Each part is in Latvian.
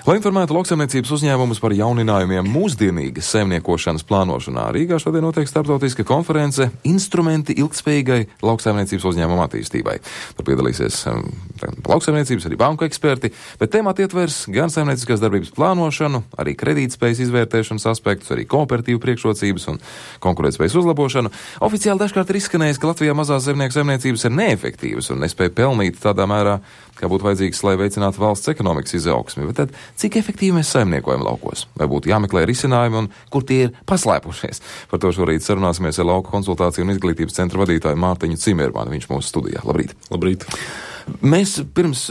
Lai informētu lauksaimniecības uzņēmumus par jauninājumiem mūsdienīgas saimniekošanas plānošanā, Rīgā šodien notiek starptautiska konference Instrumenti ilgtspējīgai lauksaimniecības uzņēmumu attīstībai. Tur piedalīsies lauksaimniecības, arī banku eksperti, bet tēmāt ietvers gan saimnieciskās darbības plānošanu, arī kredītspējas izvērtēšanas aspektus, arī kooperatīvu priekšrocības un konkurētspējas uzlabošanu. Oficiāli dažkārt ir izskanējis, ka Latvijā mazās zemnieku saimniecības ir neefektīvas un nespēja pelnīt tādā mērā, kā būtu vajadzīgs, lai veicinātu valsts ekonomikas izaugsmi. Bet tad, cik efektīvi mēs saimniekojam laukos? Vai būtu jāmeklē risinājumi un kur tie ir paslēpušies? Par to šorīt sarunāsimies ar Lauku konsultāciju un izglītības centra vadītāju Mārtiņu Cimermani. Viņš mūsu studijā. Labrīt! Labrīt! Mēs pirms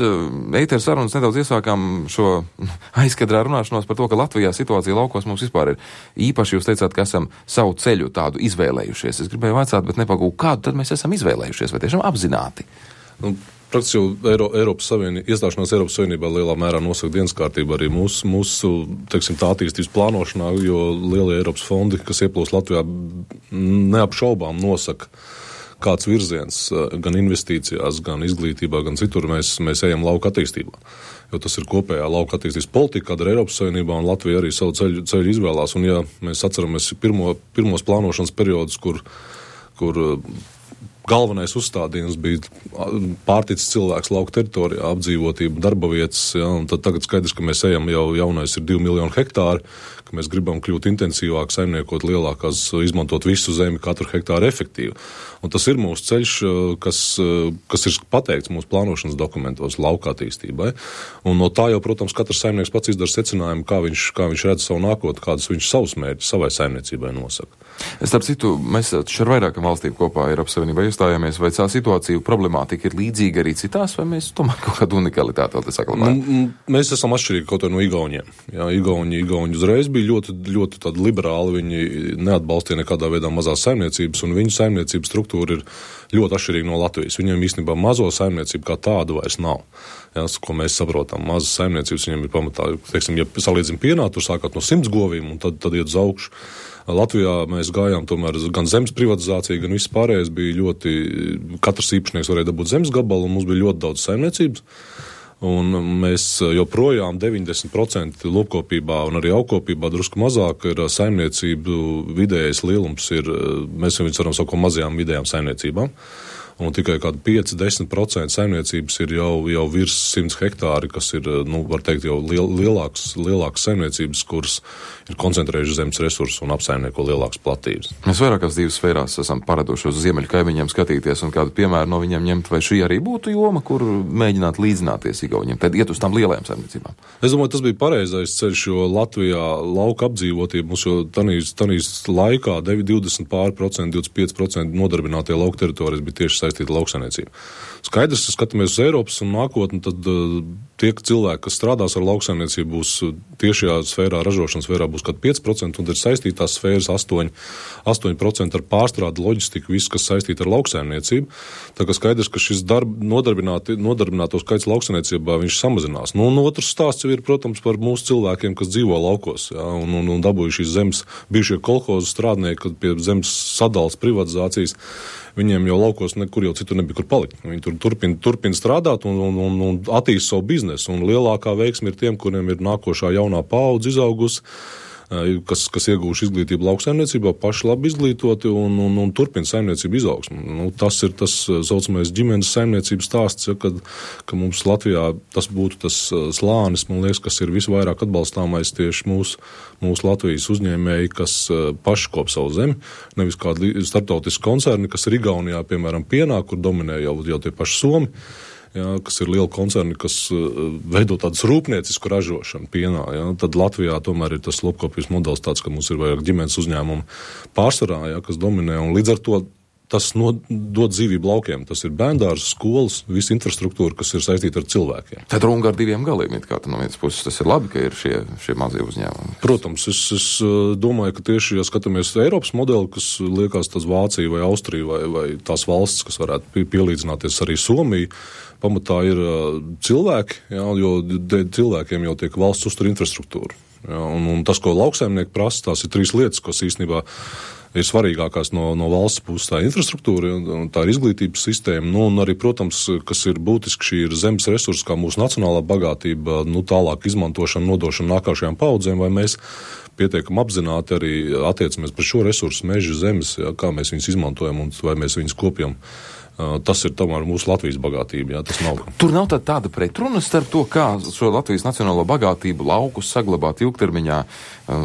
ētera sarunas nedaudz iesākām šo aizkadrā runāšanos par to, ka Latvijā situācija laukos mums vispār ir īpaši. Jūs teicāt, ka esam savu ceļu tādu izvēlējušies. Es gribēju vaicāt, bet nepagūju, kādu tad mēs esam izvēlējušies, vai tiešām apzināti? Praktiski jau iestāšanās Eiropas Savienībā lielā mērā nosaka dienas kārtību arī mūsu teiksim, tā attīstības plānošanā, jo lielie Eiropas fondi, kas ieplūst Latvijā, neapšaubām nosaka, kāds virziens gan investīcijās, gan izglītībā, gan citur mēs ejam lauka attīstībā. Jo tas ir kopējā lauka attīstības politika, kāda ir Eiropas Savienībā, un Latvija arī savu ceļu izvēlās. Un ja mēs atceramies pirmos plānošanas periodus, kur galvenais uzstādījums bija pārticis cilvēks lauka teritorijā, apdzīvotība, darba vietas, ja, un tad tagad skaidrs, ka mēs ejam jau jaunais ir 2 miljoni hektāri, ka mēs gribam kļūt intensīvāk, saimniekot lielākās, izmantot visu zemi, katru hektāru efektīvi. Un tas ir mūsu ceļš, kas ir pateikts mūsu plānošanas dokumentos lauka attīstībai. Un no tā jau, protams, katrs saimnieks pats izdara secinājumu, kā viņš redz savu nākotni, kādus viņš savus mērķus savai saimniecībai nosaka. Starp citu, mēs ar vairākām valstīm kopā Eiropas Savienībā iestājāmies, vai tā situācija problemātika ir līdzīga arī citās, vai mēs tomēr kaut kādu unikalitāti vēl te saglabājam? Mēs esam atšķirīgi kaut no Igauniem. Jā, Igauni uzreiz bija ļoti tādi liberāli, viņi neatbalstīja nekādā veidā mazās saimniecības, un viņu saimniecības struktūra ir ļoti atšķirīga no Latvijas. Viņiem īstenībā mazo saimniecību kā tādu vairs nav. Jā, ko mēs saprotam, mazas saimniecības viņiem ir pamatā, teiksim, ja salīdzim pienā, tur sākot no 100 govīm, un tad iet uz augšu. Latvijā mēs gājām tomēr gan zemes privatizācija, gan viss pārējais bija ļoti, katrs īpašnieks varēja dabūt zemes gabalu, un mums bija ļoti daudz saimniecības. Un mēs joprojām 90% lopkopībā un arī augkopībā drusku mazāk ir saimniecību vidējais lielums mēs viņus varam saukt mazajām vidējām saimniecībām. Un tikai kādi 5-10% saimniecības ir jau virs 100 hektāri, kas ir, var teikt, jau lielākas saimniecības, kuras ir koncentrējuši zemes resursus un apsaimnieko lielākas platības. Mēs vairākās dzīves sfērās esam paraduši uz ziemeļu kaimiņiem skatīties un kādu piemēru no viņiem ņemt, vai šī arī būtu joma, kur mēģināt līdzināties Igauniem, tad iet uz tām lielajām saimniecībām. Es domāju, tas bija pareizais ceļš, jo Latvijā lauka apdzīvotība mums jau tanīs laikā 20%, 25% nodarbinātie lauka teritorijas bija tieši saistīta lauksaimniecība. Skaidrs, ka skatāmies uz Eiropas un nākotni, tad tie cilvēki, kas strādās ar lauksaimniecību, būs tiešajā sfērā, ražošanas sfērā būs kādi 5%, un ir saistītās sfēras 8% ar pārstrādi, loģistiku, viss, kas saistīta ar lauksaimniecību. Tā kā skaidrs, ka šis nodarbināto skaits lauksaimniecībā viņš samazinās. Un otrs stāsts jau ir, protams, par mūsu cilvēkiem, kas dzīvo laukos, jā, un dabūjuši šīs zemes, bijušie kolhozu strādnieki, kad pie zemes sadales privatizācijas, viņiem jau laukos nekur jau citur nebija kur palikt. Viņi tur turpina strādāt un attīst savu biznesu. Un lielākā veiksme ir tiem, kuriem ir nākošā jaunā paudze izaugusi, kas iegūši izglītību lauksaimniecībā, paši labi izglītoti un turpina saimniecību izaugsmu. Tas ir tas saucamais ģimenes saimniecības stāsts, ja, ka mums Latvijā tas būtu tas slānis, man liekas, kas ir visvairāk atbalstāmais tieši mūsu Latvijas uzņēmēji, kas paši kop savu zemi, nevis kādi starptautiski koncerni, kas ir Igaunijā, piemēram, pienā, kur dominē jau tie paši Somi. Jā, kas ir lieli koncerni, kas veido tādas rūpniecisku ražošanu pienā. Jā. Tad Latvijā tomēr ir tas lopkopības modelis tāds, ka mums ir vairāk ģimenes uzņēmumu pārsvarā, jā, kas dominē, un līdz ar to tas dod dzīvību laukiem. Tas ir bērndārs, skolas, visa infrastruktūra, kas ir saistīta ar cilvēkiem. Tad runga ar diviem galiem, kā no vienas puses. Tas ir labi, ka ir šie mazie uzņēmumi. Protams, es domāju, ka tieši, ja skatāmies Eiropas modeli, kas liekas tas Vācija vai Austrija vai tās valsts, kas varētu pielīdzināties arī Somija, pamatā ir cilvēki, jā, jo cilvēkiem jau tiek valsts uztur infrastruktūra. Jā, un tas, ko lauksaimnieki prasa, tās ir 3 lietas, kas īstenībā ir svarīgākās no valsts puses tā infrastruktūra, un tā ir izglītības sistēma, un arī, protams, kas ir būtiski, šī ir zemes resursi, kā mūsu nacionālā bagātība, tālāk izmantošana, nodošana nākošajām paudzēm, vai mēs pietiekam apzināti arī attiecamies par šo resursu, meža, zemes, kā mēs viņus izmantojam un vai mēs viņus kopjam. Tas ir tomēr mūsu Latvijas bagātība, tas nav. Tur nav tāda pretruna starp to, kā šo Latvijas nacionālo bagātību laukus saglabāt ilgtermiņā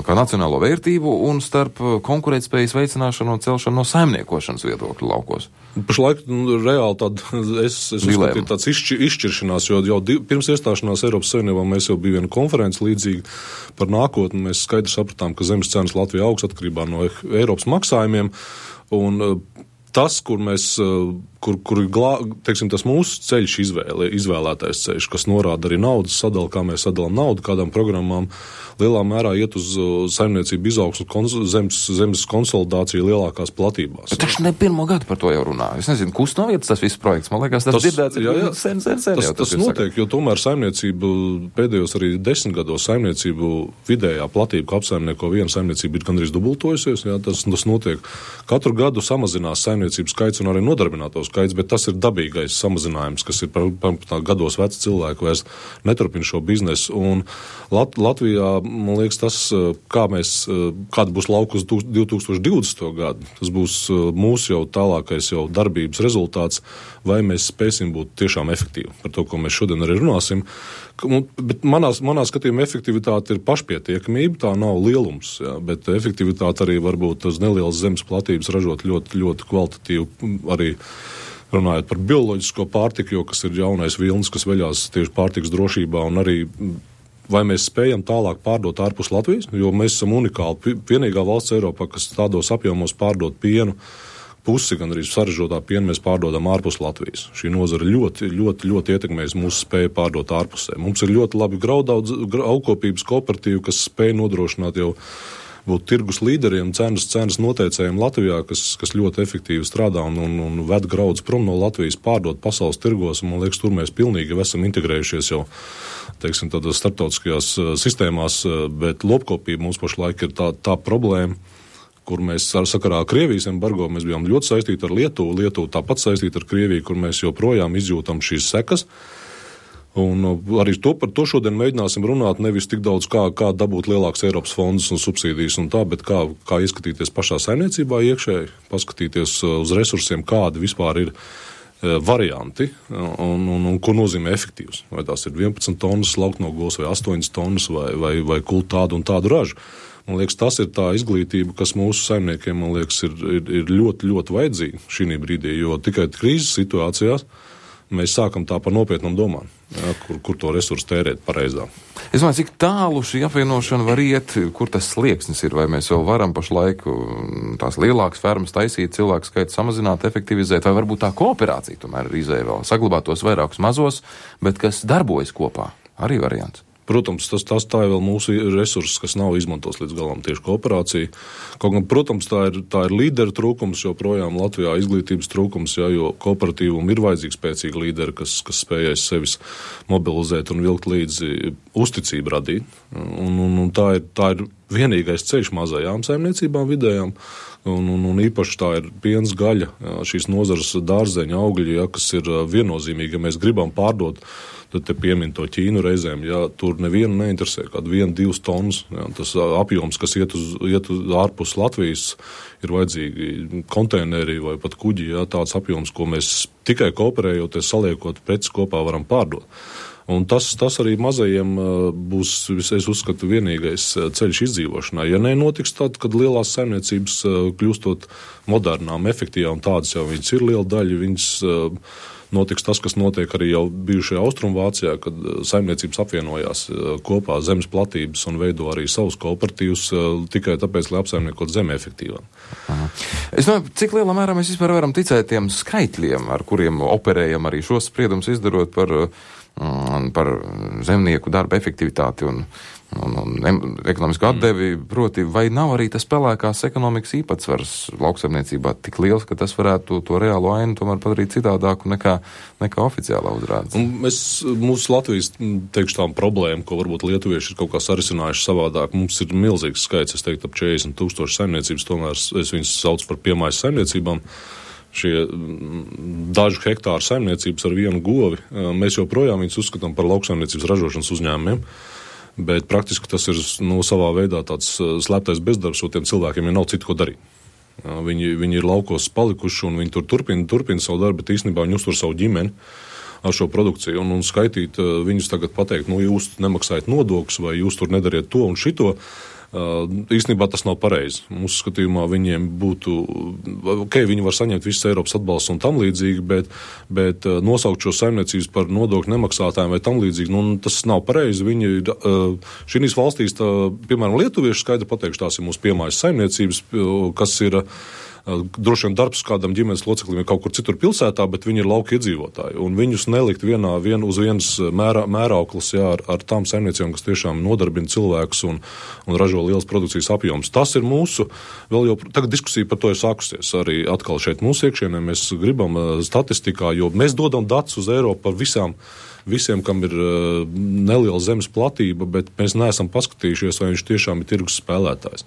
kā nacionālo vērtību un starp konkurētspējas veicināšanu un celšanu no saimniekošanas viedokļa laukos. Pašlaik reāli es uzskatīju tāds izšķiršanās, jo jau pirms iestāšanās Eiropas Savienībā mēs jau bija viena konference līdzīga par nākotni. Mēs skaidri sapratām, ka zemes cenas Latvijā augs atkarībā no Eiropas maksājumiem, un tas, kur ir teiksim, tas mūsu ceļš izvēlētais ceļš, kas norāda arī naudas sadali, kā mēs sadalām naudu kādām programmām, lielā mērā iet uz saimniecību izaugsmu, zemes konsolidāciju lielākās platībās. Bet taču ne pirmo gadu par to jau runā. Es nezinu, kus no vietas tas viss projekts. Man liekas, tas dzirdēts ir sen. Tas notiek, jo tomēr saimniecību pēdējos arī 10 gados saimniecību vidējā platība, ko apsaimnieko viena saimniecība, ir gandrīz dubultojusies. Tas notiek. Katru gadu samazinās saimniecības skaits un arī nodarbināto skaits, bet tas ir dabīgais samazinājums, kas ir par gados veci cilvēki vairs neturpina šo biznesu. Un Latvijā, man liekas, tas, kāda būs lauka uz 2020. gadu, tas būs mūsu jau tālākais jau darbības rezultāts, vai mēs spēsim būt tiešām efektīvi par to, ko mēs šodien arī runāsim. Bet manā skatījumā efektivitāte ir pašpietiekamība, tā nav lielums, bet efektivitāte arī varbūt uz nelielas zemes platības ražot ļoti, ļoti kvalitatīvu arī runājot par bioloģisko pārtiku, jo kas ir jaunais vilnis, kas veļās tieši pārtikas drošībā, un arī vai mēs spējam tālāk pārdot ārpus Latvijas, jo mēs esam unikāli. Vienīgā valsts Eiropā, kas tādos apjomos pārdot pienu, pusi gan arī saražotā pienu mēs pārdodam ārpus Latvijas. Šī nozara ļoti, ļoti, ļoti ietekmēs mūsu spēju pārdot ārpusē. Mums ir ļoti labi augkopības kooperatīvi, kas spēj nodrošināt jau būt tirgus līderiem, cenas noteicējiem Latvijā, kas ļoti efektīvi strādā un ved graudus prom no Latvijas, pārdot pasaules tirgos, un man liekas, tur mēs pilnīgi esam integrējušies jau, teiksim, tādos starptautiskajās sistēmās, bet lopkopība mums pašlaik ir tā problēma, kur mēs sakarā Krievijas embargo mēs bijām ļoti saistīti ar Lietuvu tāpat saistīti ar Krieviju, kur mēs joprojām izjūtam šīs sekas. Un arī par to šodien mēģināsim runāt, nevis tik daudz kā dabūt lielāks Eiropas fondus un subsīdijas un tā, bet kā ieskatīties pašā saimniecībā iekšēji, paskatīties uz resursiem, kādi vispār ir varianti un ko nozīmē efektīvs. Vai tās ir 11 tonnas lauknogos vai 8 tonnas vai kult tādu un tādu ražu. Man liekas, tas ir tā izglītība, kas mūsu saimniekiem, man liekas, ir ļoti, ļoti vajadzīga šī brīdī, jo tikai krīzes situācijās mēs sākam tā par nopietnām domām, kur to resursu tērēt pareizā. Es domāju, cik tālu šī apvienošana var iet, kur tas slieksnis ir, vai mēs vēl varam pašlaik tās lielākas fermas taisīt, cilvēku skaitu samazināt, efektivizēt, vai varbūt tā kooperācija tomēr ir izēja vēl saglabāt tos vairākus mazos, bet kas darbojas kopā, arī variants. Protams, tā ir vēl mūsu resurss, kas nav izmantos līdz galam tieši kooperācija. Kaut gan, protams, tā ir līderu trūkums, joprojām Latvijā izglītības trūkums, jo kooperatīvum ir vajadzīgi spēcīgi līderi, kas spējais sevis mobilizēt un vilkt līdzi uzticību radīt. Un tā ir vienīgais ceļš mazajām saimniecībām vidējām. Un īpaši tā ir piens, gaļa, šīs nozares dārzeņa, augļi, kas ir viennozīmīgi, ja mēs gribam pārdot, tad te piemin to Ķīnu reizēm, tur nevienu neinteresē, kādu 1-2 tonnas. Tas apjoms, kas iet uz ārpus Latvijas, ir vajadzīgi konteineri vai pat kuģi, tāds apjoms, ko mēs tikai kooperējoties, saliekot preces kopā varam pārdot. Un tas arī mazajiem būs, es uzskatu, vienīgais ceļš izdzīvošanai. Ja nenotiks tad, kad lielās saimniecības kļūstot modernām, efektīvām, tādas jau viņas ir liela daļa, viņas notiks tas, kas notiek arī jau bijušajā Austrumvācijā, kad saimniecības apvienojās kopā zemes platības un veido arī savus kooperatīvus tikai tāpēc, lai apsaimniekot zemi efektīvāk. Es domāju, cik lielā mērā mēs vispār varam ticēt tiem skaitļiem, ar kuriem operējam arī šos spriedumus izdarot par par zemnieku darba efektivitāti un ekonomisku atdevi, proti, vai nav arī tas pelēkās ekonomikas īpatsvars lauksaimniecībā tik liels, ka tas varētu to reālo ainu tomēr padarīt citādāku nekā oficiālā uzrādes? Mūsu Latvijas, teikšu tām problēma, ko varbūt lietuvieši ir kaut kā sarisinājuši savādāk, mums ir milzīgs skaits, es teiktu, ap 40,000 saimniecības, tomēr es viņus saucu par piemājas saimniecībām. Šie dažu hektāru saimniecības ar vienu govi, mēs joprojām viņus uzskatām par lauksaimniecības ražošanas uzņēmumiem, bet praktiski tas ir savā veidā tāds slēptais bezdarbs, jo tiem cilvēkiem jau nav citu, ko darīt. Viņi ir laukos palikuši un viņi tur turpina savu darbu, bet īstenībā viņi uztur savu ģimeni ar šo produkciju un skaitīt viņus tagad pateikt, jūs nemaksājat nodokļus vai jūs tur nedariet to un šito. Īstenībā tas nav pareizi. Mūsu skatījumā viņiem būtu, viņi var saņemt visas Eiropas atbalsts un tam līdzīgi, bet nosaukt šo saimniecības par nodokļu nemaksātājiem vai tam līdzīgi, tas nav pareizi. Viņi ir, šīs valstīs, piemēram, lietuvieši skaidri pateikšu, tās ir mūsu piemājas saimniecības, kas ir droši vien darbs kādam ģimenes loceklim ir kaut kur citur pilsētā, bet viņi ir lauka iedzīvotāji. Un viņus nelikt uz vienas mērauklas ar tām saimniecībām, kas tiešām nodarbina cilvēkus un ražo lielas produkcijas apjomus. Tas ir mūsu, tagad diskusija par to ir sākusies arī atkal šeit mūsu iekšienē. Mēs gribam statistikā, jo mēs dodam datus uz Eiropu par visiem, kam ir neliela zemes platība, bet mēs neesam paskatījušies, vai viņš tiešām ir tirgus spēlētājs.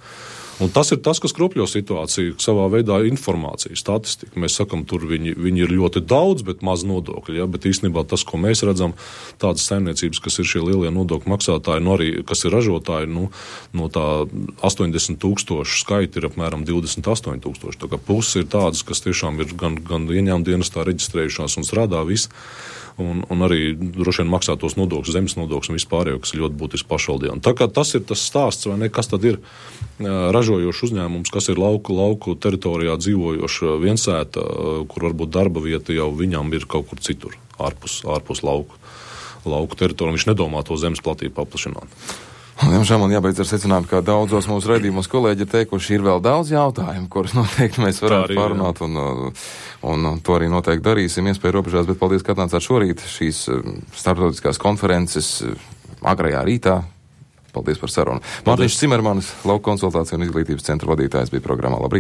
Un tas ir tas, kas kropļo situāciju, savā veidā informācija, statistika. Mēs sakam, tur viņi ir ļoti daudz, bet maz nodokļi. Ja? Bet īstenībā tas, ko mēs redzam, tādas saimniecības, kas ir šie lielie nodokļu maksātāji, arī kas ir ražotāji, no tā 80,000 skaita ir apmēram 28,000. Tā kā pusi ir tādas, kas tiešām ir gan ieņēmuma dienestā reģistrējušās un strādā visi. Un arī droši vien maksā tos nodokļus, zemes nodokļus un vispārējo, kas ir ļoti būtiski pašvaldībām. Tā kā tas ir tas stāsts, vai ne, kas tad ir ražojošs uzņēmums, kas ir lauku teritorijā dzīvojoša viensēta, kur varbūt darba vieta jau viņam ir kaut kur citur, ārpus lauku teritoriju. Viņš nedomā to zemes platību paplašināt. Diemžēl man jābeidz ar secinājumu, ka daudzos mūsu raidījumos kolēģi ir teikuši, ir vēl daudz jautājumu, kurus noteikti mēs varētu pārunāt, un to arī noteikti darīsim, iespēja robežās, bet paldies, ka atnācāt šorīt šīs starptautiskās konferences agrajā rītā. Paldies par sarunu. Mārtiņš Cimermanis, Lauku konsultāciju un izglītības centra vadītājs, bija programmā. Labrīt!